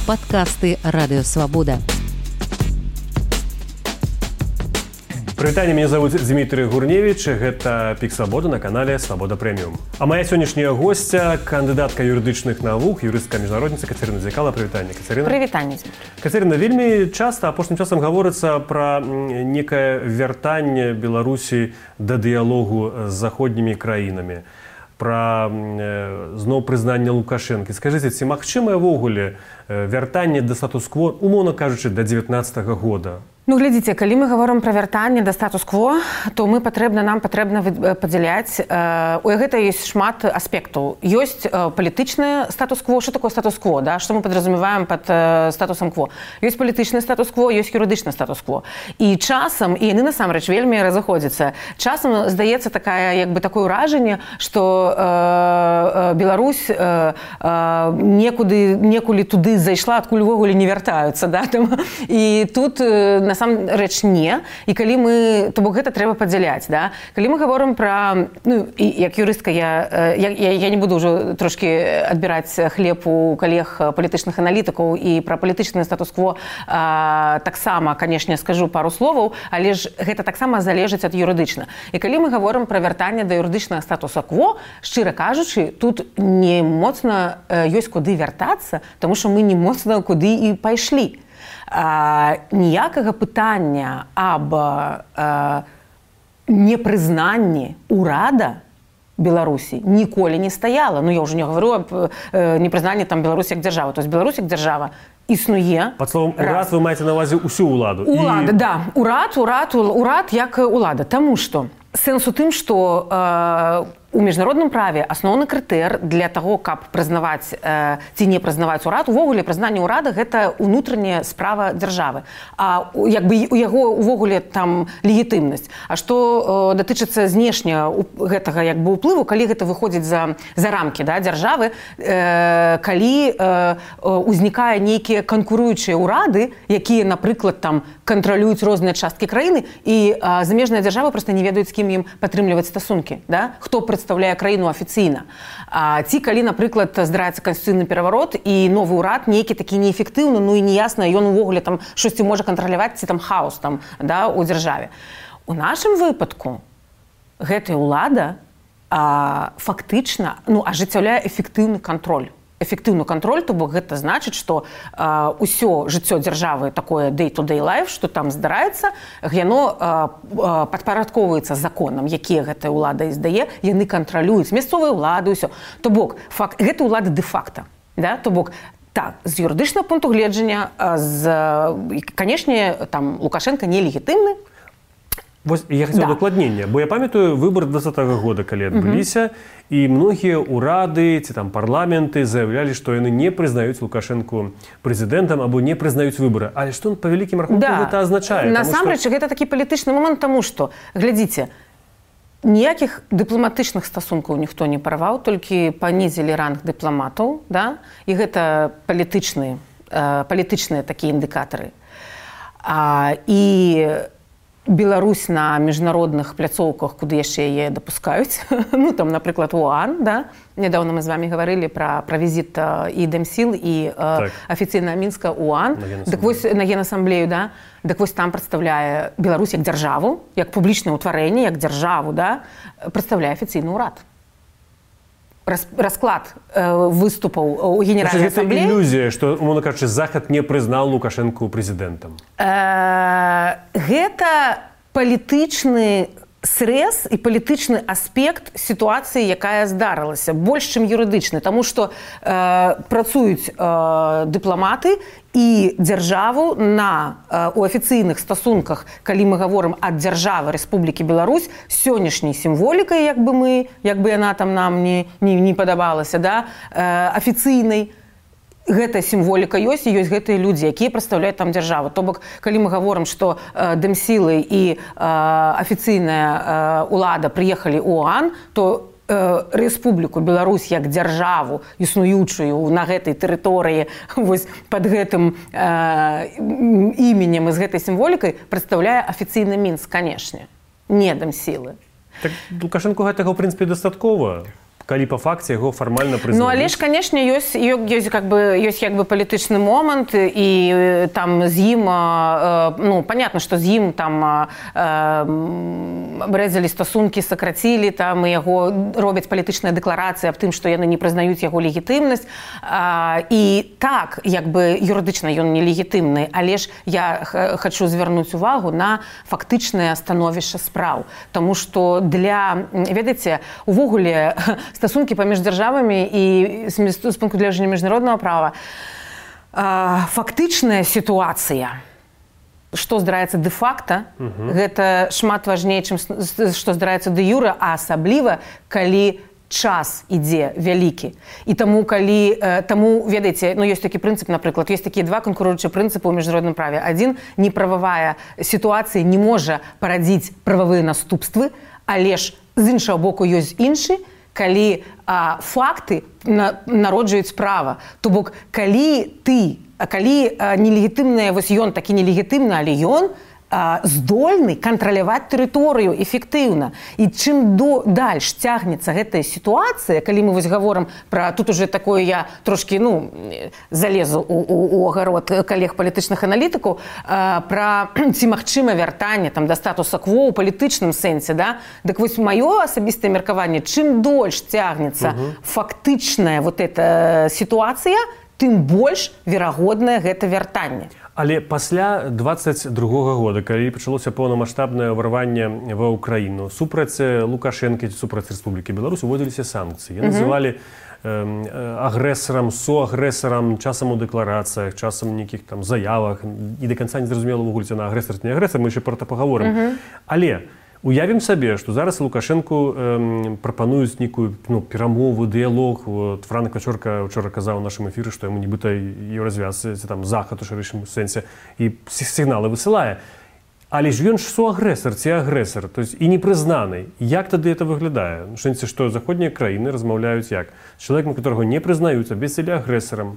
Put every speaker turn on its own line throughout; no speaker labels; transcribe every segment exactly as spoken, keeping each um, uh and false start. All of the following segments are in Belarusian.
Падкасты Радыёвабода.
Прывітанне, мяне зовут Дмітрый Гурневіч, гэта Пік Свабода на канале Свабода Прэміум. А моя сённяшняя госця, кандыдатка юрыдычных навук, юрыстка міжнародніца Кацярына Дзякала. Прывітанне, Кацярына.
Прывітанне.
Кацярына, вельмі часта апошнім часам гаворыцца пра некае вяртанне Беларусі да дыялогу з заходнімі краінамі, пра зноў прызнанне Лукашэнкі. Скажыце, ці магчымае ўвогуле вяртанне да статус-кво, умоўна кажучы, да дзевятнаццатага года?
Ну, глядзіце, калі мы гаворым пра вяртанне да статус-кво, то мы патрэбна, нам патрэбна падзяляць. У гэта ёсць шмат аспектаў. Ёсць палітычны статус-кво. Што такое статус-кво? Да? Што мы падразумеваем пад статусам кво? Ёсць палітычны статус-кво, ёсць юрыдычны статус-кво. І часам, і яны насамрэч вельмі разыходзяцца, часам здаецца такая, як бы такое ўражанне, што э, Беларусь э, э, некуды, некулі туды зайшла, адкуль увогуле не вяртаюцца. Да? І тут на насамрэч не, і калі мы, то бок гэта трэба падзяляць, да? Калі мы гаворым пра, ну, і як юрыстка я, я, я, я не буду ўжо трошкі адбіраць хлеб у калег палітычных аналітыкаў і пра палітычны статус-кво а, таксама, канешне, скажу пару словаў, але ж гэта таксама залежыць ад юрыдычна. І калі мы гаворым пра вяртанне да юрыдычнага статуса-кво, шчыра кажучы, тут не моцна ёсць куды вяртацца, таму што мы не моцна куды і пайшлі. А, ніякага пытання аб а, непрызнанні ўрада Беларусі ніколі не стаяла. Ну, я ўжо не гавару аб э, непрызнанні там Беларусі як дзяржавы. То есть Беларусь як дзяржава існуе.
Пад словом урад вы маеце на ўвазе ўсю ўладу.
Улада, і... да. Урад, урад, урад як улада. Таму што сэнс у тым, што э, у міжнародным праве асноўны крытэр для таго, каб прызнаваць э, ці не прызнаваць урад, увогуле прызнанне ўрада гэта ўнутраняя справа дзяржавы. А як бы у яго увогуле там легітымнасць. А што э, датычыцца знешня гэтага як бы ўплыву, калі гэта выходзіць за, за рамкі, да, дзяржавы, э, калі э, узнікае нейкія канкуруючыя ўрады, якія, напрыклад, там кантралююць розныя часткі краіны, і э, замежныя дзяржавы проста не ведаюць, з кім ім падтрымліваць стасункі, да? Хто прадстаўляе краіну афіцыйна. А, ці калі, напрыклад, здараецца канстытуцыйны пераварот і новы ўрад нейкі такі неэфектыўны, ну і неясна, ён увогуле там штосьці можа кантраляваць, ці там хаос там, да, у дзяржаве. У нашым выпадку гэтая ўлада а, фактычна, ну, ажыццяўляе эфектыўны кантроль. Эфектыўны кантроль, то бок гэта значыць, што э, ўсё жыццё дзяржавы такое day-to-day life, што там здараецца, яно э, падпарадкоўваецца законам, якія гэтая ўлада издае, яны кантралююць мясцовыя ўлады, ўсё. То бок, факт, гэта ўлада дэ-факта. Да? То бок, так, з юрыдычнага пункту гледжання, з, канешне, там Лукашенко нелегітымны.
Вось я хацеў
да.
дакладнення, бо я памятаю выбары двадцатага года, калі адбыліся, mm-hmm. і многія ўрады ці там парламенты заявлялі, што яны не прызнаюць Лукашэнку прэзідэнтам або не прызнаюць выбары. Але што па вялікім рахунку да. гэта азначае?
Насамрэч, што... гэта такі палітычны момант, таму што, глядзіце, ніякіх дыпламатычных стасункаў ніхто не парваў, толькі панізілі ранг дыпламатаў, да? І гэта палітычныя, э, палітычныя такія індыкатары. А, і Беларусь на міжнародных пляцоўках, куды яшчэ яе дапускаюць. Ну, там, напрыклад, ОАН, да? Нядаўна мы з вамі гаварылі пра, пра візіт і Дэмсіл, і так. афіцыйна Мінска ОАН. Дык вось на Генасамблею, да? Дык вось там прадстаўляе Беларусь як дзяржаву, як публічнае ўтварэнне, як дзяржаву, да? Прадстаўляе афіцыйны ўрад. Расклад э, выступаў у Генеральнай асамблеі.
Гэта ілюзія, што, умоўна кажучы, Захад не прызнаў Лукашэнку прэзідэнтам.
Э, гэта палітычны срэз і палітычны аспект сітуацыі, якая здарылася, больш, чым юрыдычны, таму што э, працуюць э, дыпламаты і дзяржаву на, э, у афіцыйных стасунках, калі мы гаворым ад дзяржавы Рэспублікі Беларусь, сённяшняй сімволікай, як бы мы, як бы яна там нам не, не, не падабалася, да, э, афіцыйнай, гэтая сімволіка ёсць, і ёсць гэтыя людзі, якія прадстаўляюць там дзяржаву. То бок, калі мы гаворым, што э, Дэмсілы і э, афіцыйная э, ўлада прыехалі ў ОАН, то э, Рэспубліку Беларусь як дзяржаву, існуючую на гэтай тэрыторыі, вось пад гэтым э, іменем і з гэтай сімволікай прадстаўляе афіцыйны Мінск, канешне, не Дэмсілы.
Так Лукашэнку гэтага, ў прынцыпе, дастаткова? калі па факце яго фармальна прызнаюць.
Ну, але ж, канешне, ёсць, ёсць, как бы, ёсць як бы палітычны момант, і там з ім, ну, понятно, што з ім там абрэзалі стасункі, сакрацілі, там, і яго робяць палітычныя дэкларацыі аб тым, што яны не прызнаюць яго легітымнасць. І так, як бы, юрыдычна ён не легітымны, але ж я хачу звярнуць увагу на фактычнае становішча спраў. Таму што для, ведаеце, увогуле стасункі паміж дзяржавамі і з пункту гледжання міжнароднага права фактычная сітуацыя, што здараецца дэ-факта, uh-huh. гэта шмат важней, чым што здараецца дэ-юра, а асабліва, калі час ідзе вялікі. І таму, калі, таму, ведаеце, ну, ёсць такі прынцып, напрыклад, ёсць такія два канкуруючыя прынцыпы ў міжнародным праве. Адзін, неправавая сітуацыя не можа парадзіць прававыя наступствы, але ж з іншага боку ёсць іншы, калі а, факты на, народжуюць права. То бок, калі ты, калі а, нелегітымны, вось ён такі нелегітымны, але ён здольны кантраляваць тэрыторыю эфектыўна. І чым до, дальш цягнецца гэтая сітуацыя, калі мы вось гаворым пра, тут уже такое я трошкі, ну, залезу у, у, у агарод калег палітычных аналітыкаў, пра ці магчыма вяртанне там да статуса кво ў палітычным сэнсе, да? Дык вось маё асабістае меркаванне, чым дольш цягнецца uh-huh. фактычная вот эта сітуацыя, тым больш верагоднае гэта вяртанне.
Але пасля дваццаць другога года, калі пачалося поўнамаштабнае ўварванне ва ўкраіну, супраць Лукашэнкі, супраць Рэспублікі Беларусь уводзіліся санкцыі. Яны называлі агрэсарам, суагрэсарам, часам у дэкларацыях, часам у нейкіх там заявах, і да канца не зразумела ўвогуле, ці на агрэсар, ці не агрэсар, мы яшчэ пра гэта пагаворым. Але уявім сабе, што зараз Лукашэнку эм, прапануюць нейкую, ну, перамову, дыялог. Вот, Франк Вачорка ўчора казаў у нашым эфіры, што яму нібыта еўразвяз, ці там захад у шырэйшым сэнсе, і сігналы высылае. Але ж ён ж суагрэсар ці агрэсар, то есть і непрызнаны. Як тады это выглядае? У сэнсе, што заходнія краіны размаўляюць як? З чалавекам, которого не прызнаюць, абвесцілі агрэсарам.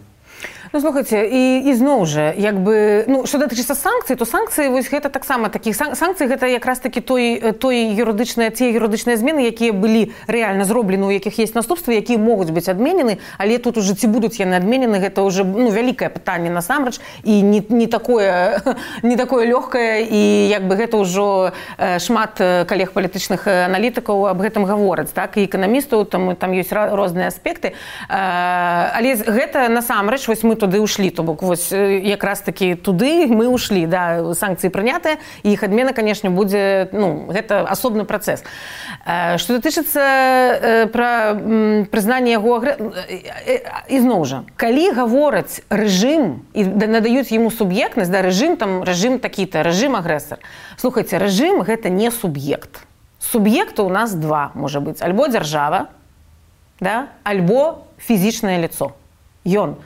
Ну, слухайте, і, і зноў жа, як бы, ну, што датычыцца санкцый, то санкцыі, вось гэта таксама такіх санкцый, гэта якраз такі той, той юрыдычныя, tie юрыдычныя змены, якія былі рэальна зроблены, у якіх есть наступствы, якія могуць быць адменены, але тут уже ці будуць яны адменены, гэта уже, ну, вялікае пытанне насамрэч, і не, не такое, не такое лёгкае, і як бы гэта ўжо шмат калег палітычных аналітыкаў аб гэтым гавораць, так, і эканамістаў, там, там ёсць розныя аспекты, але гэта насамрэч, вось мы туды ушлі, то бок вось якраз такі туды мы ушлі, да, санкцыі прынятыя, і іх адмена, канешне, будзе, ну, гэта асобны працэс. Што датычыцца пра прызнанне яго і зноў жа, калі гавораць рэжым і надаюць яму суб'ектнасць, да, рэжым там, рэжым такі-то, рэжым агрэсар. Слухайце, рэжым гэта не суб'ект. Суб'екта у нас два, можа быць, альбо дзяржава, да, альбо фізічнае лицо. Ён,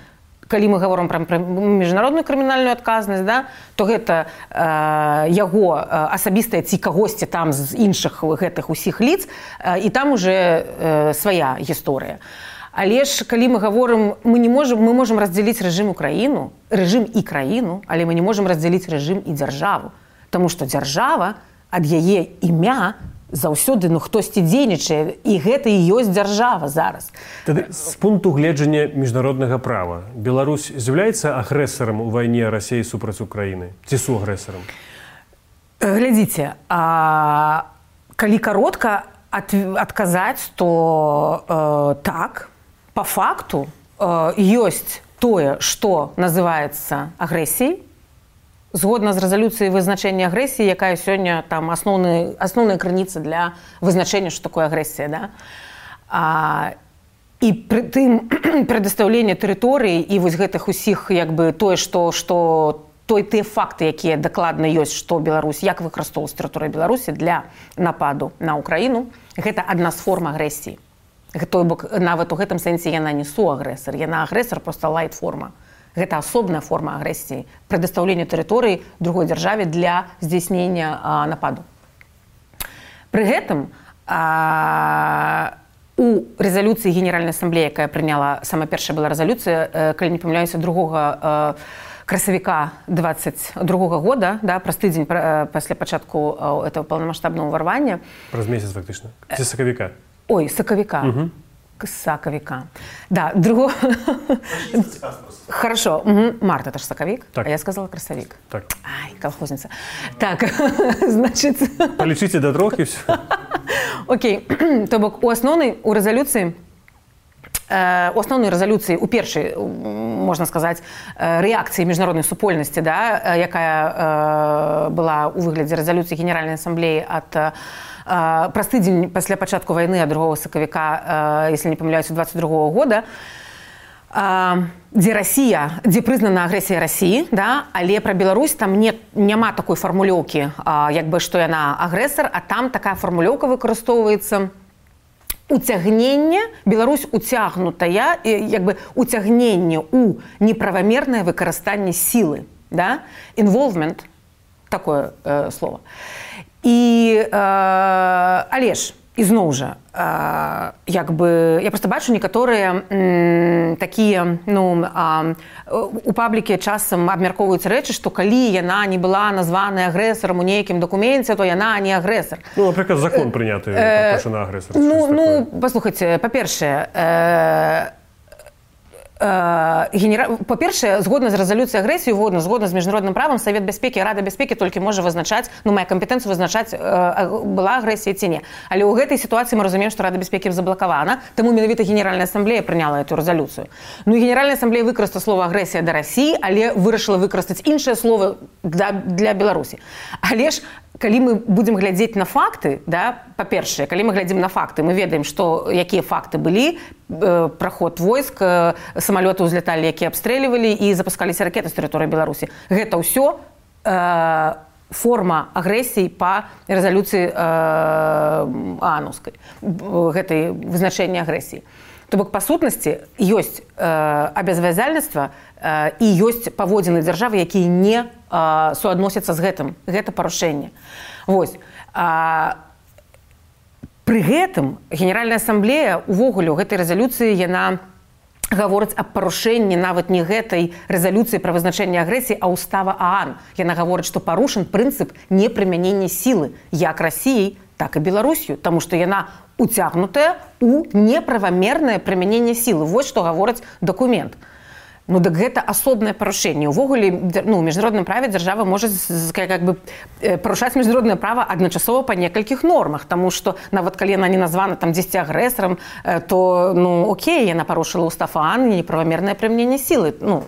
калі мы гаворым пра міжнародную крымінальную адказнасць, да, то гэта э, яго асабістая ці кагосьці там з іншых гэтых усіх лиц, э, і там уже э, свая гісторыя. Але ж, калі мы гаворым, мы не можам, мы можам раздзяліць рэжым Украіну, рэжым і краіну, але мы не можам раздзяліць рэжым і дзяржаву. Таму што дзяржава ад яе імя заўсёды, ну, хтосьці дзейнічае, і гэта і ёсць дзяржава зараз.
Тады, з пункту гледжання міжнароднага права, Беларусь з'яўляецца агрэсарам у вайне Расіі супраць Украіны? Ці суагрэсарам?
Глядзіце, а, калі каротка ад, адказаць, то э, так, па факту э, ёсць тое, што называецца агрэсіяй, згодна з рэзалюцыяй вызначэння агрэсіі, якая сёння там асноўны, асноўная крыніца для вызначэння, што такое агрэсія, да? А, і пры тым прадастаўленне тэрыторыі і вось гэтых усіх, як бы, тое, што, што той тыя факты, якія дакладна ёсць, што Беларусь, як выкарыстоўваць тэрыторыя Беларусі для нападу на Украіну, гэта адна з форм агрэсіі. Той бок, нават у гэтым сэнсе яна не суагрэсар, яна агрэсар, проста лайт-форма. Гэта асобная форма агрэсіі, прадастаўлення тэрыторыі другой дзяржаве для здзяйснення а, нападу. Пры гэтым а, у рэзалюцыі Генеральнай асамблеі, якая прыняла, сама першая была рэзалюцыя, калі не памыляюся, другога красавіка двадцать другога года, да, праз тыдзень пасля пачатку этого паўнамаштабнага ўварвання.
Праз месяц фактычна. Ці сакавіка?
Ой, сакавіка. Угу. Сакавіка. Да, другого... Хорошо. Угу. Март, это же сакавик,
так.
А я сказала красавик.
Так.
Ай, колхозница. Так, значит...
Полічыце да трох і все.
Окей. То бок, у асноўнай, у рэзалюцыі, у асноўнай рэзалюцыі, у першай, можна сказаць, рэакцыі міжнароднай супольнасці, да, якая была у выглядзе рэзалюцыі Генеральнай асамблеі ад праз тыдзень пасля пачатку вайны ад другога сакавіка, если не памыляюся, двадцать другого года, дзе Расія, дзе прызнана агрэсія Расіі, да, але пра Беларусь там не, няма такой фармулёўкі, як бы, што яна агрэсар, а там такая фармулёўка выкарыстоўваецца уцягнення, Беларусь уцягнутая, як бы уцягненне у неправамернае выкарыстанне сілы, да, involvement, такое э, слово. І, э, але ж, ізноў жа, э, як бы, я просто бачу некаторыя м, такія, ну, э, у паблікі часам абмяркоўваюць рэчы, што калі яна не была названая агрэсарам у нейкім дакуменце, то яна не агрэсар.
Ну, напрыклад, закон прыняты, э, што на агрэсар.
Ну, ну, паслухайце, па-першае, э, Генера... Па-першае, згодна з рэзалюцыяй агрэсіі, згодна, згодна з міжнародным правам, Савет бяспекі, Рада бяспекі толькі можа вызначаць, ну, мае кампетэнцыю вызначаць, была агрэсія ці не. Але ў гэтай сітуацыі мы разумеем, што Рада бяспекі заблакавана, таму менавіта Генеральная асамблея прыняла эту рэзалюцыю. Ну, і Генеральная асамблея выкарыстала слова агрэсія да Расіі, але вырашыла выкарыстаць іншае слово для, для Беларусі. Але ж, калі мы будзем глядзець на факты, да, па-першае, калі мы глядзім на факты, мы ведаем, што якія факты былі, э, праход войск, э, самалёты ўзляталі, якія абстрэльвалі і запускаліся ракеты з тэрыторыі Беларусі. Гэта ўсё э, форма агрэсіі па рэзалюцыі э, аанаўскай, гэтай вызначэння агрэсіі. То бок, па сутнасці, ёсць э, абавязальніцтва э, і ёсць паводзіны дзяржавы, якія не э, суадносяцца з гэтым. Гэта парушэнне. Вось. А, пры гэтым Генеральная асамблея увогуле ў гэтай рэзалюцыі яна гаворыць аб парушэнні нават не гэтай рэзалюцыі пра вызначэнне агрэсіі, а устава ААН. Яна гаворыць, што парушан прынцып непрымянення сілы як Расіяй, так і Беларусью, таму што яна уцягнутая у неправамернае прымяненне сілы. Вось што гаворыць дакумент. Ну, так гэта асобнае парушэнне. Увогуле, ну, у міжнародным праве дзяржава можа как бы парушаць міжнароднае права адначасова па некалькіх нормах, таму што нават калі яна не названа там дзесьці агрэсарам, то, ну, окей, яна парушыла устав ААН і неправамернае прымяненне сілы. Ну,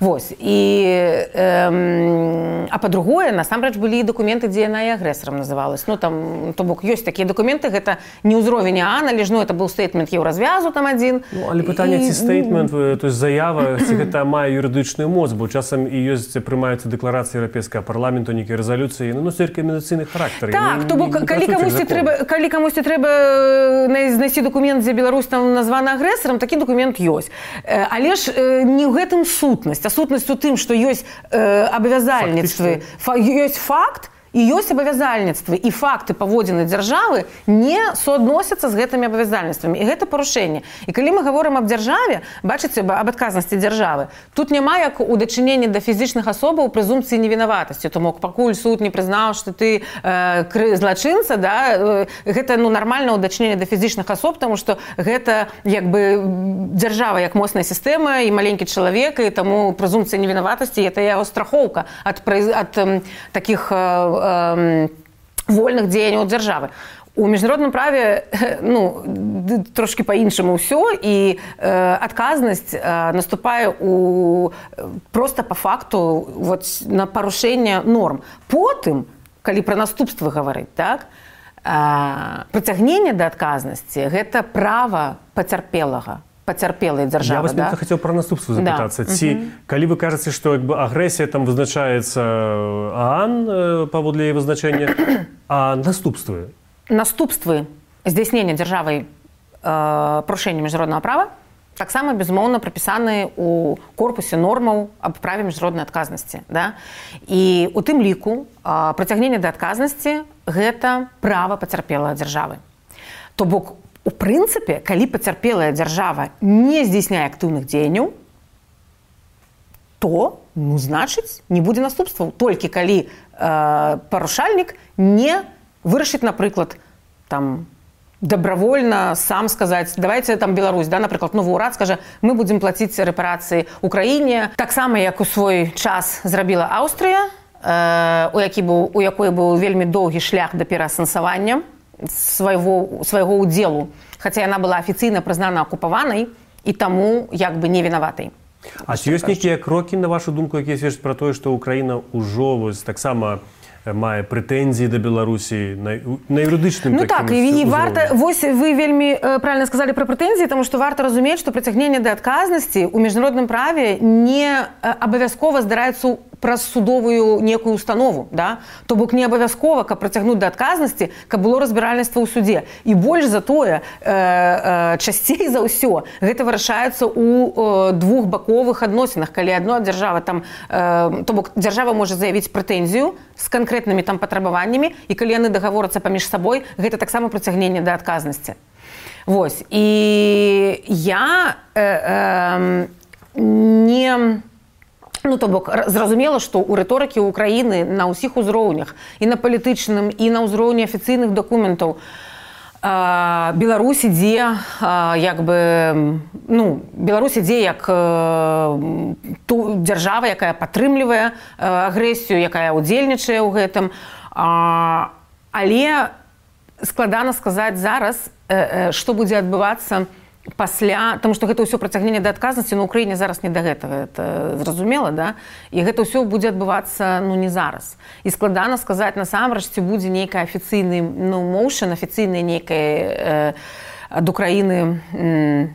вось. І, эм, а па-другое, насамрэч былі і дакументы, дзе яна і агрэсарам называлась. Ну, там, то бок, ёсць такія дакументы, гэта не ўзровень ААН, але ж, ну, это быў стейтмент Еўразвязу там адзін.
Ну, але пытанне, ці стейтмент, то есть заява, ці гэта мае юрыдычную моц, бо часам і ёсць, прымаюцца дэкларацыі Еўрапейскага парламенту, нейкія рэзалюцыі, ну, носяць рэкамендацыйны характар.
Так, то бок, калі камусьці трэба, калі камусьці трэба знайсці дакумент, дзе Беларусь там названа агрэсарам, такі дакумент ёсць. Але ж не ў гэтым сутнасць, а сутнасць у тым, што ёсць э, абавязальніцтвы, фа, ёсць факт і ёсць абавязальніцтвы, і факты паводзіны дзяржавы не суадносяцца з гэтымі абавязальніцтвамі. І гэта парушэнне. І калі мы гаворым аб дзяржаве, бачыце, аб адказнасці дзяржавы, тут няма як у дачыненні да фізічных асобаў прэзумпцыі невінаватасці. Тому пакуль суд не прызнаў, што ты э, злачынца, да, э, гэта, ну, нармальна ў дачыненні да фізічных асоб, таму што гэта як бы дзяржава як моцная сістэма і маленькі чалавек, і таму прэзумпцыя невінаватасці – гэта яго страхоўка ад, ад э, такіх э, вольных дзеянняў дзяржавы. У міжнародным праве, ну, трошки па-іншаму ўсё, і э, адказнасць э, наступае у, просто па факту вот, на парушэнне норм. Потым, калі пра наступствы гаварыць, так, э, прыцягненне да адказнасці – гэта права пацярпелага. Пацярпелай дзяржавы,
я вас
да?
Хацеў пра наступству запытацца. Да. Ці, mm-hmm. калі вы кажаце, што як бы агрэсія там вызначаецца ААН э, паводле яе вызначэння, а наступствы?
Наступствы здзяйснення дзяржавай э, парушэння міжнароднага права таксама, безумоўна, прапісаны ў корпусе нормаў аб праве міжнароднай адказнасці. Да? І у тым ліку э, прыцягненне да адказнасці – гэта права пацярпелай дзяржавы. То бок, у прынцыпе, калі пацярпелая дзяржава не здзяйсняе актыўных дзеянняў, то, ну, значыць, не будзе наступстваў. Толькі калі э, парушальнік не вырашыць, напрыклад, там, добровольно сам сказаць, давайте там Беларусь, да, напрыклад, новы ўрад скажа, мы будзем плаціць рэпарацыі Украіне, таксама як у свой час зрабіла Аўстрыя, у які быў, у якой быў вельмі доўгі шлях да пераасэнсавання свайго, свайго ўдзелу, хаця яна была афіцыйна прызнана акупаванай і таму як бы не вінаватай.
А ці ёсць нейкія крокі, на вашу думку, якія сведчаць пра тое, што Украіна ўжо вось таксама мае прэтэнзіі да Беларусі на, на юрыдычным
ну так, і, і варта, вось вы вельмі э, правильно сказали пра прэтэнзіі, таму што варта разумець, што прыцягненне да адказнасці ў міжнародным праве не э, абавязкова здараецца праз судовую некую установу, да? То бок не абавязкова, каб прыцягнуць да адказнасці, каб было разбіральніцтва ў суде. І больш за тое, э, э, часцей за ўсё, гэта вырашаецца ў э, двухбаковых адносінах, калі адна дзяржава там, э, то бок дзяржава можа заявіць прэтэнзію з канкрэтнымі там патрабаваннямі, і калі яны дагаворацца паміж сабой, гэта таксама прыцягненне да адказнасці. Вось. І я э, э, не... Ну, то бок, зразумела, што ў рыторыкі Украіны на ўсіх узроўнях, і на палітычным, і на ўзроўні афіцыйных дакументаў, Беларусь ідзе, як бы, ну, Беларусь ідзе як ту дзяржава, якая падтрымлівае агрэсію, якая ўдзельнічае ў гэтым. Але складана сказаць зараз, што будзе адбывацца пасля, тому што гэта ўсё прыцягненне да адказнасці на Украіне зараз не да гэтага, это зразумела, да? І гэта ўсё будзе адбывацца, ну, не зараз. І складана сказаць насамрэч, ці будзе нейкі афіцыйны, ну, моушн, афіцыйны нейкі э, ад Украіны э,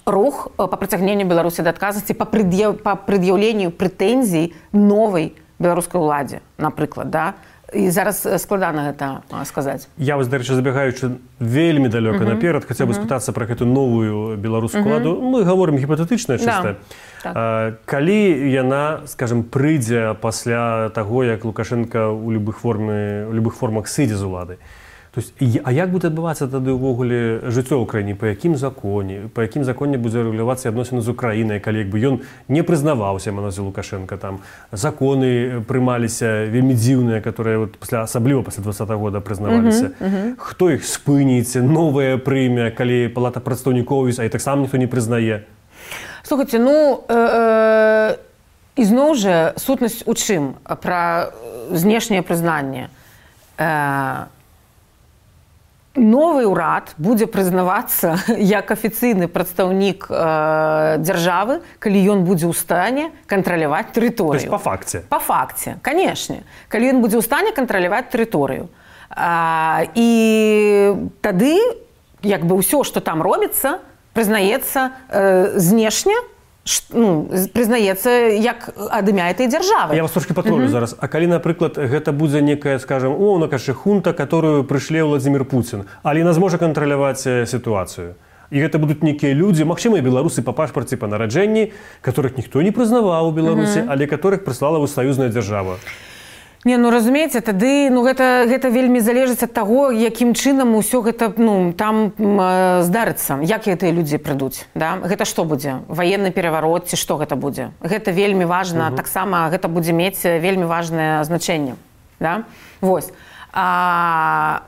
рух па прыцягненню Беларусі да адказнасці, па, прыд'яў, па прыд'яўленню прэтэнзій новай беларускай уладзе, напрыклад, да? І зараз складана гэта сказаць.
Я вось, дарэчы, забегаючы вельмі далёка uh-huh. наперад, хацеў бы uh-huh. спытацца пра гэту новую беларускую uh-huh. ладу. Мы гаворым гіпатэтычна чыста. Да. Так. Калі яна, скажем, прыйдзе пасля таго, як Лукашенка ў любых форме, ў любых формах сыдзе з улады. То есть, а як будзе адбывацца тады ўвогуле жыццё ў краіне, па якім законе, па якім законе будзе рэгулявацца адносіны з Украінай, калі як бы ён не прызнаваўся, Маназі Лукашенка, там законы прымаліся вельмі дзіўныя, которые вот пасля, асабліва пасля двадцатого года прызнаваліся. Uh-huh, uh-huh. Хто іх спыніць, новае прыме, калі палата прадстаўнікоў, а і таксама ніхто не прызнае?
Слухайце, ну, э, э, ізноў жа сутнасць у чым? Пра знешняе прызнанне. Э, Новы ўрад будзе прызнавацца як афіцыйны прадстаўнік э, дзяржавы, калі ён будзе ў стане кантраляваць тэрыторыю.
То есть па факце?
Па факце, канешне. Калі ён будзе ў стане кантраляваць тэрыторыю. А, і тады як бы ўсё, што там робіцца, прызнаецца э, знешне, ну, прызнаецца як ад імя этой дзяржавы.
Я вас трошки патролю uh-huh. зараз. А калі, напрыклад, гэта будзе некая, скажем, о, накажы хунта, которую прышле Владимир Путин, але яна зможа кантраляваць сітуацыю. І гэта будуць нейкія людзі, магчыма, і беларусы па пашпарце, па нараджэнні, которых ніхто не прызнаваў у Беларусі, uh-huh. але которых прыслала саюзная дзяржава.
Не, ну разумееце, тады ну, гэта, гэта вельмі залежыць ад таго, якім чынам усё гэта ну, там э, здарыцца, як гэтыя людзі прыйдуць. Да? Гэта што будзе? Ваенны пераварот ці што гэта будзе? Гэта вельмі важна, uh-huh. таксама гэта будзе мець вельмі важнае значэнне. Да? Вось. А,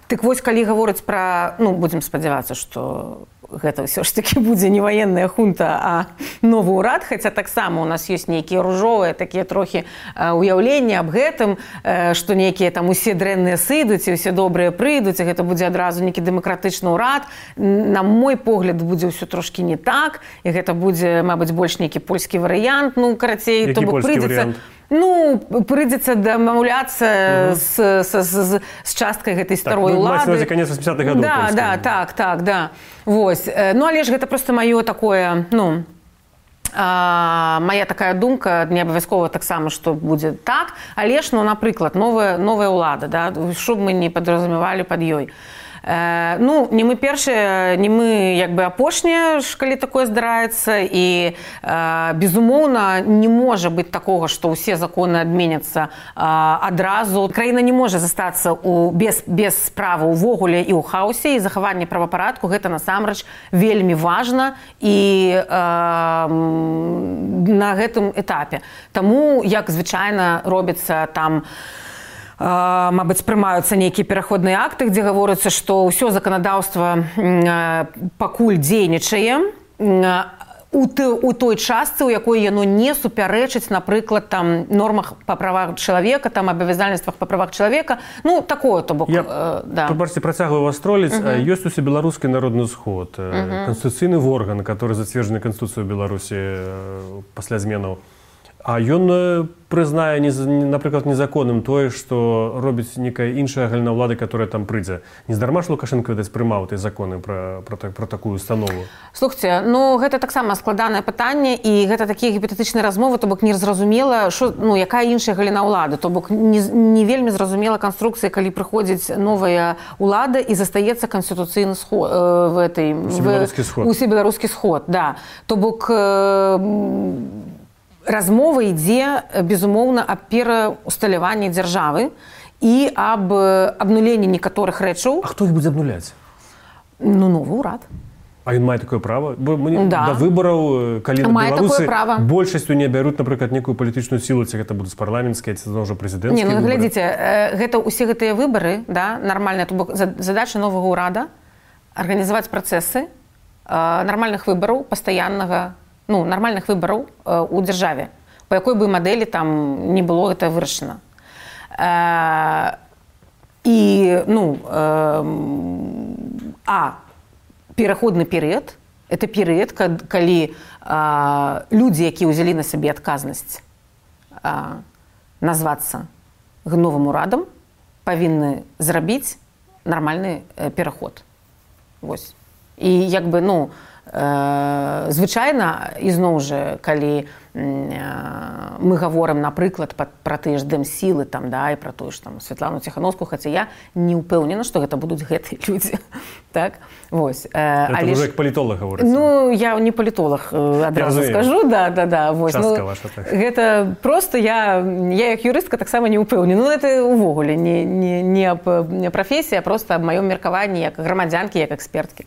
так вось, калі гаворыць пра, ну, будзем спадзявацца, што гэта ўсё ж такі будзе не ваенная хунта, а новы ўрад, хаця таксама у нас ёсць нейкія ружовыя такія трохі уяўленні аб гэтым, што нейкія там усе дрэнныя сыдуць і ўсе добрыя прыйдуць, і гэта будзе адразу нейкі дэмакратычны ўрад. На мой погляд, будзе ўсё трошкі не так, і гэта будзе, мабыць, больш нейкі польскі варыянт, ну, карацей, то бок прыйдзецца... Ну, прыйдзецца дамаўляцца з, з, з, з часткай гэтай старой
так,
улады.
Так, канец восьмидесятых гадоў.
Да, да, так, так, да. Вось. Ну, але ж гэта проста маё такое, ну, а, мая такая думка, не абавязкова таксама, што будзе так, але ж, ну, напрыклад, новая, новая ўлада, да, што б мы не падразумевалі пад ёй. Э, ну, не мы першыя, не мы як бы апошнія, калі такое здараецца, і э, безумоўна не можа быць такога, што ўсе законы адменяцца э, адразу. Краіна не можа застацца у, без, без справы ўвогуле і ў хаосе, і захаванне правапарадку гэта насамрэч вельмі важна і э, на гэтым этапе. Таму, як звычайна робіцца там мабыць, прымаюцца нейкія пераходныя акты, дзе гаворыцца, што ўсё заканадаўства пакуль дзейнічае у той частцы, у якой яно не супярэчыць, напрыклад, там нормах па правах чалавека, там абавязальніцтвах па правах чалавека, ну такое, то бок.
Я, да. Пабачце, працягваю вас троліць. Uh-huh. Ёсць усе беларускі народны сход, uh-huh. канстытуцыйны орган, который зацверджаны Канстытуцыяй Беларусі пасля зменаў. А ён прызнае, напрыклад, незаконным тое, што робіць некая іншая галіна ўлады, которая там прыйдзе. Нездарма ж Лукашенко, відаць, прымаў тыя законы пра, пра, пра такую установу.
Слухайце, ну гэта таксама складанае пытанне, і гэта такія гіпотетычныя размовы, то бок незразумела, што, ну, якая іншая галіна ўлады, то бок не, не вельмі зразумела канструкцыя, калі прыходзіць новая ўлада і застаецца канстытуцыйны сход, э, в этой,
усебеларускі сход.
Усебеларускі сход, да. То бок э, размова ідзе, безумоўна, аб пераўсталяванні дзяржавы і аб абнуленні некаторых рэчаў.
А хто іх будзе абнуляць?
Ну, новы ўрад.
А ён мае такое права? Бо мне
да.
Да выбараў, калі
мае
беларусы
большасцю
не бяруць, напрыклад, некую палітычную сілу, ці гэта будуць парламенцкія, ці ўжо прэзідэнцкія
выбары. Не, ну,
выбары.
глядзіце, гэта ўсе гэтыя выбары, да, нармальныя, то бок задача новага ўрада арганізаваць працэсы нармальных выбараў, пастаяннага, ну, нармальных выбараў э, у дзяржаве, па якой бы мадэлі там не было гэта вырашана. Э, і, ну, э, а пераходны перыяд – это перыяд, калі э, людзі, якія ўзялі на сабе адказнасць э, назвацца новым урадам, павінны зрабіць нармальны э, пераход. Вось. І як бы, ну, звычайна, ізноў жа, калі мы гаворым, напрыклад, пра тыя ж дэмсілы, там, да, і пра тую ж там Святлану Ціхановскую, хаця я не ўпэўнена, што гэта будуць гэтыя людзі. Так? Вось.
Это ўжо як палітолог гаворыцца.
Ну, я не палітолог, адразу скажу. Да, да, да. Вось.
Частка
ну,
ваша, так.
Гэта просто я, я як юрыстка таксама не ўпэўнена. Ну, гэта ўвогуле не, не, не аб прафесіі, а проста аб маём меркаванні як грамадзянкі, як эксперткі.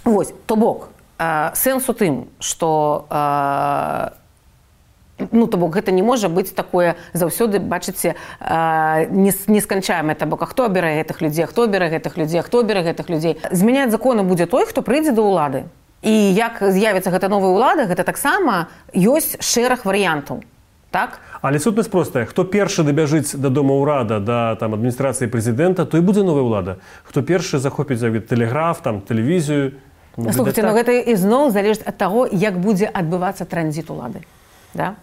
Вось, то бок, э, сэнс у тым, што э, ну, то бок, гэта не можа быць такое заўсёды, бачыце, э, несканчаемае, то бок, а хто абірае гэтых людзей, хто абірае гэтых людзей, хто абірае гэтых людзей. Змяняць законы будзе той, хто прыйдзе да ўлады. І як з'явіцца гэта новая ўлада, гэта таксама ёсць шэраг варыянтаў. Так?
Але сутнасць простая. Хто першы дабяжыць да дома ўрада, да там, адміністрацыі прэзідэнта, то і будзе новая ўлада. Хто першы захопіць тэлеграф, там, тэлевізію.
Слухайце, так. Но гэта ізноў залежыць ад таго, як будзе адбывацца транзіт улады. Да?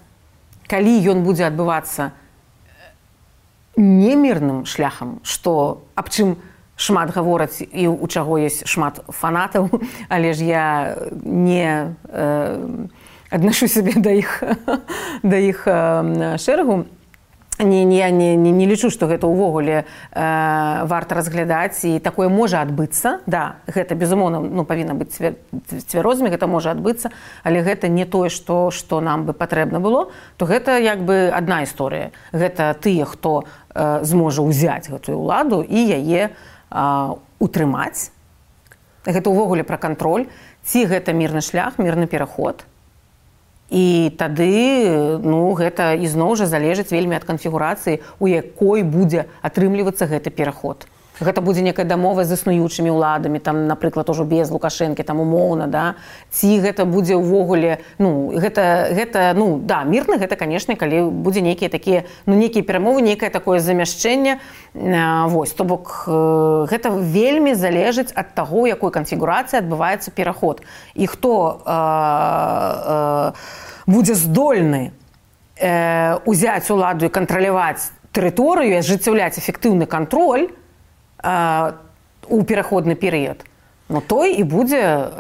Калі ён будзе адбывацца немірным шляхам, што аб чым шмат гавораць і у чаго ёсць шмат фанатаў, але ж я не э, аднашу сябе да іх, да іх э, шэрагу, Не, не, не, не лічу, што гэта ўвогуле э, варта разглядаць, і такое можа адбыцца. Да, гэта, безумоўна, ну, павінна быць цвярозамі, гэта можа адбыцца, але гэта не тое, што, што нам бы патрэбна было, то гэта як бы адна історыя. Гэта тыя, хто э, зможа ўзяць гэтую ўладу і яе э, утрымаць. Гэта ўвогуле пра кантроль. Ці гэта мірны шлях, мірны пераход. І тады, ну, гэта ізноў жа залежыць вельмі ад канфігурацыі, у якой будзе атрымлівацца гэты пераход. Гэта будзе некая дамова з існуючымі ўладамі, там, напрыклад, ужо без Лукашэнкі, там, умоўна, да? Ці гэта будзе ўвогуле, ну, гэта, гэта, ну, да, мірна гэта, канешне, калі будзе нейкія такія, ну, нейкія перамовы, нейкае такое замяшчэнне, вось, то бок, гэта вельмі залежыць ад таго, у якой канфігурацыі адбываецца пераход. І хто э, э, будзе здольны э, узяць уладу і кантраляваць тэрыторыю, ажыццяўляць эфектыўны кантроль, у пераходны перыяд. Но той і будзе...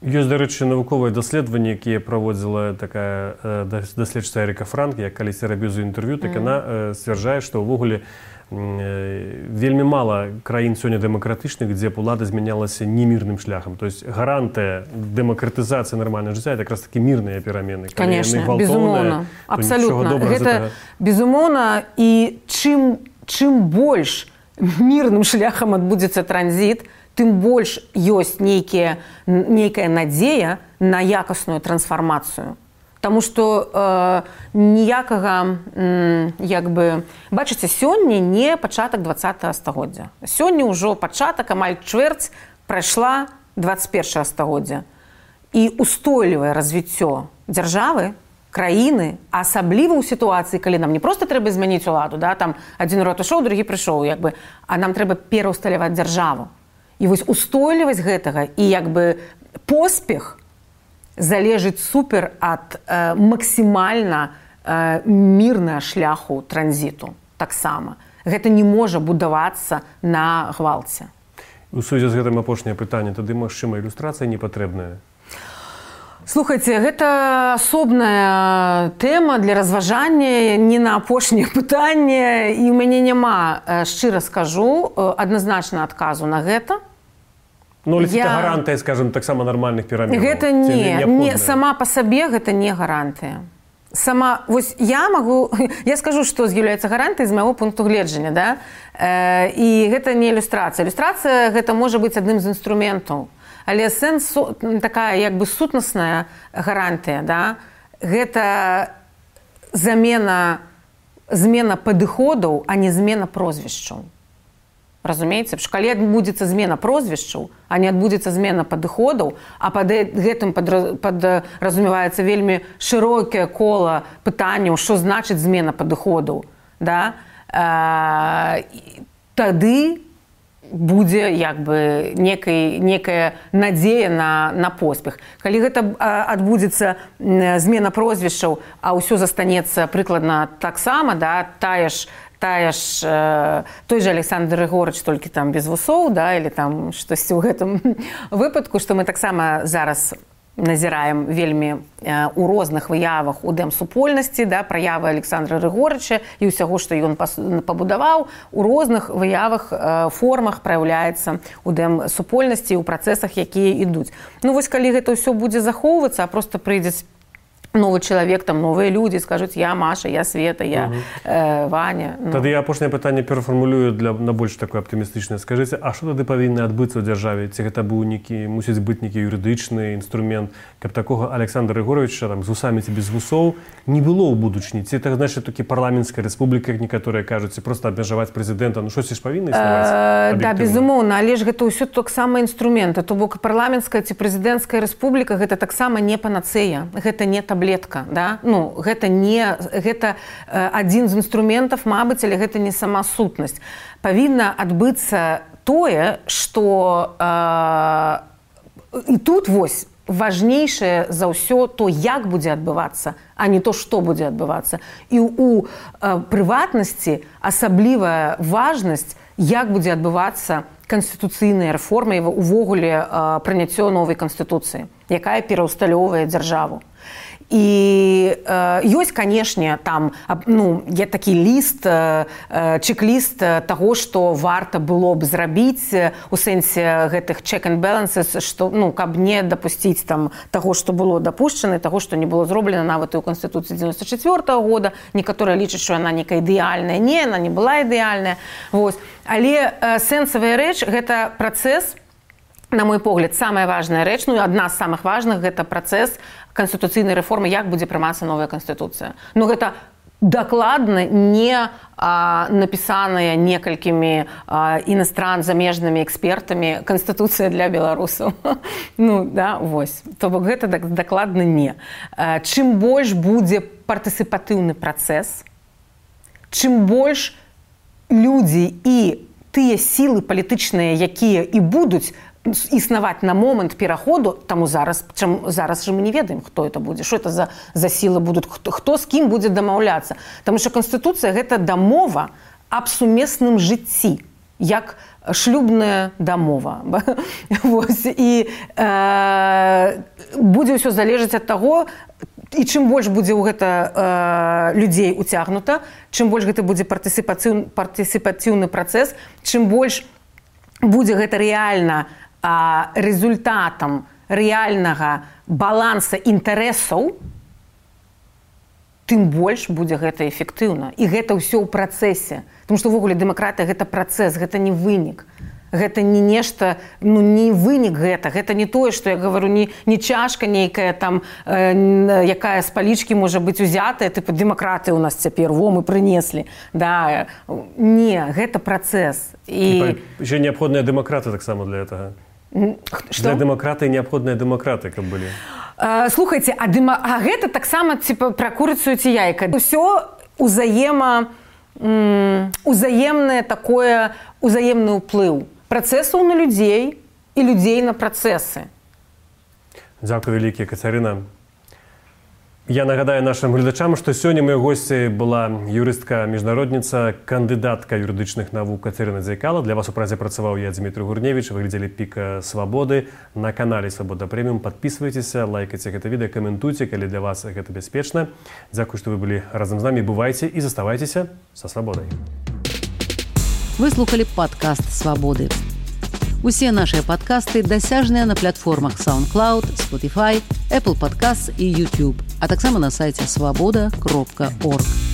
Ёсць, дарэчы, навуковыя даследаванні, якія праводзіла такая даследчыца Эріка Франк, я калісьці рабіў за інтэрв'ю, так яна сцвярджае, што ўвогуле вельмі мала краін сёння дэмакратычных, дзе б улада змянялася немірным шляхам. То есть гарантыя дэмакратызацыі нармальнага жыцця — это якраз такі мірныя перамены.
Конечно, безумоўна. Абсалютна. Гэта безумоўна, і чым, чым больш мірным шляхам адбудзецца транзіт, тым больш ёсць нейкія, нейкая надзея на якасную трансфармацыю. Таму што э, ніякага м, як бы бачыце, сёння не пачатак двадцатага стагоддзя. Сёння ўжо пачатак, амаль чвэрць прайшла двадцать первого стагоддзя. І устойлівае развіццё дзяржавы, краіны, асабліва ў сітуацыі, калі нам не проста трэба змяніць уладу, да, там адзін род ішоў, другі прыйшоў, як бы, а нам трэба пераўсталяваць дзяржаву. І вось устойлівасць гэтага і як бы поспех залежыць супер ад э, максімальна э, мірнага шляху транзіту. Таксама. Гэта не можа будавацца на гвалце.
У сувязі з гэтым апошняе пытанне, тады, магчыма, ілюстрацыя не патрэбная?
Слухайце, гэта асобная тэма для разважання, не на апошняе пытанне, і ў мяне няма, шчыра скажу, адназначна адказу на гэта.
Ну, але я... гэта гарантыя, скажем, таксама нармальных пераменаў.
Гэта не, не, сама па сабе гэта не гарантыя. Сама, вось я магу, я скажу, што з'яўляецца гарантыяй з майго пункту гледжання, да? Э, і гэта не ілюстрацыя. Ілюстрацыя гэта можа быць адным з інструментаў. Але сэнс такая, як бы сутнасная гарантыя, да? Гэта замена, змена падыходаў, а не змена прозвішчаў. Разумееце? Калі адбудзецца змена прозвішчаў, а не адбудзецца змена падыходаў, а пад гэтым падразумеваецца вельмі шырокае кола пытанняў, што значыць змена падыходаў, да? а, тады будзе як бы некай, некая надзея на, на поспех. Калі гэта адбудзецца змена прозвішчаў, а ўсё застанецца прыкладна таксама, да? тая ж Тая ж, э, той же Александр Рыгорыч, толькі там без вусоў, да, или там штосьці ў гэтым выпадку, што мы таксама зараз назіраем вельмі э, у розных выявах у дэмсупольнасці, да, праявы Александра Рыгорыча і ўсяго, што ён пабудаваў, у розных выявах, э, формах праяўляецца у дэмсупольнасці, у працэсах, якія ідуць. Ну вось калі гэта ўсё будзе захоўвацца, а проста прыйдзець новый чалавек, там новыя людзі скажуць, я Маша, я Света, я э, Ваня. Ну.
Тады я апошняе пытанне перафармулюю для на больш такое аптымістычнае. Скажыце, а што тады павінна адбыцца ў дзяржаве? Ці гэта быў некі, мусіць быць некі юрыдычны інструмент, каб такога Александра Рыгоровича там з вусамі ці без вусоў не было ў будучыні? Ці это значыць такі парламенцкая рэспубліка, як некаторыя кажуць, ці проста абмежаваць прэзідэнта? Ну штосьці ж павінна існаваць?
Да, безумоўна, але ж гэта ўсё таксама інструменты. То бок парламенцкая ці прэзідэнцкая рэспубліка гэта таксама не панацэя, гэта не таблетка, да? Ну, гэта не, гэта э, адзін з інструментаў, мабыць, але гэта не сама сутнасць. Павінна адбыцца тое, што э, і тут вось важнейшае за ўсё то, як будзе адбывацца, а не то, што будзе адбывацца. І ў э, прыватнасці асаблівая важнасць, як будзе адбывацца канстытуцыйная рэформа і увогуле э, прыняццё новай канстытуцыі, якая пераўсталёўвае дзяржаву. І э, ёсць, канешне, там ну, є такі ліст, э, чек-ліст таго, што варта было б зрабіць у сэнсе гэтых check and balances, што, ну, каб не дапусціць там таго, што было дапушчана, таго, што не было зроблена нават і ў Канстытуцыі дзевяносто четвёртого года. Некаторыя лічаць, што яна некая ідэальная. Не, яна не была ідэальная. Вось. Але э, сэнсавая рэч – гэта працэс, на мой погляд, самая важная рэч, ну і адна з самых важных – гэта працэс канстытуцыйнай рэформы, як будзе прымацца новая канстытуцыя. Ну гэта дакладна не а, напісаная некалькімі а, іностран замежнымі экспертамі канстытуцыя для беларусаў. Ну да, вось. То бок гэта дакладна не. А, чым больш будзе партысіпатыўны працэс, чым больш людзі і тыя сілы палітычныя, якія і будуць існаваць на момант пераходу, таму зараз, чым, зараз же мы не ведаем, хто это будзе, што это за, за сілы будуць, хто, хто з кім будзе дамаўляцца. Таму што Канстытуцыя – гэта дамова аб сумесным жыцці, як шлюбная дамова. Вось. І э, будзе ўсё залежаць ад таго, і чым больш будзе ў гэта э, людзей уцягнута, чым больш гэта будзе партысіпацыўны, партысіпацыўны працэс, чым больш будзе гэта рэальна а, результатам рэальнага баланса інтарэсаў, тым больш будзе гэта эфектыўна. І гэта ўсё ў працэсе. Таму што ўвогуле дэмакратыя – гэта працэс, гэта не вынік. Гэта не нешта, ну, не вынік гэта. Гэта не тое, што я говорю, не, не чашка нейкая там, э, якая з палічкі можа быць узятая, тыпу дэмакраты у нас цяпер, во, мы прынеслі. Да. Не, гэта працэс.
І... Еще неабходныя дэмакраты таксама для гэтага.
Што?
Для дэмакраты неабходныя дэмакраты, каб былі.
Э, слухайце, а, дыма... а гэта таксама типа, пра курыцу ці яйка. Усё узаема... м- узаемнае такое, узаемны ўплыў. Працэсаў на людзей і людзей на працэсы.
Дзякуй вялікі, Кацярына. Я нагадаю нашим глядачам, што сёння моёй госці была юрыстка-міжнародніца, кандыдатка юрыдычных навук Кацярына Дзайкала. Для вас у празе працаваў я, Дмітрий Гурневич. Вы глядзелі «Піка свабоды» на канале «Свабода Прэміум». Подписывайтеся, лайкайте гэта відэо, каментуйте, калі для вас гэта бяспечна. Дзякуй, што вы былі разам з намі. Бывайце і заставайцеся са свабодай.
Вы слухали падкаст «Свабоды». Усе нашыя падкасты дасяжныя на платформах SoundCloud, Spotify, Apple Podcasts і YouTube, а таксама на сайце свабода кропка орг.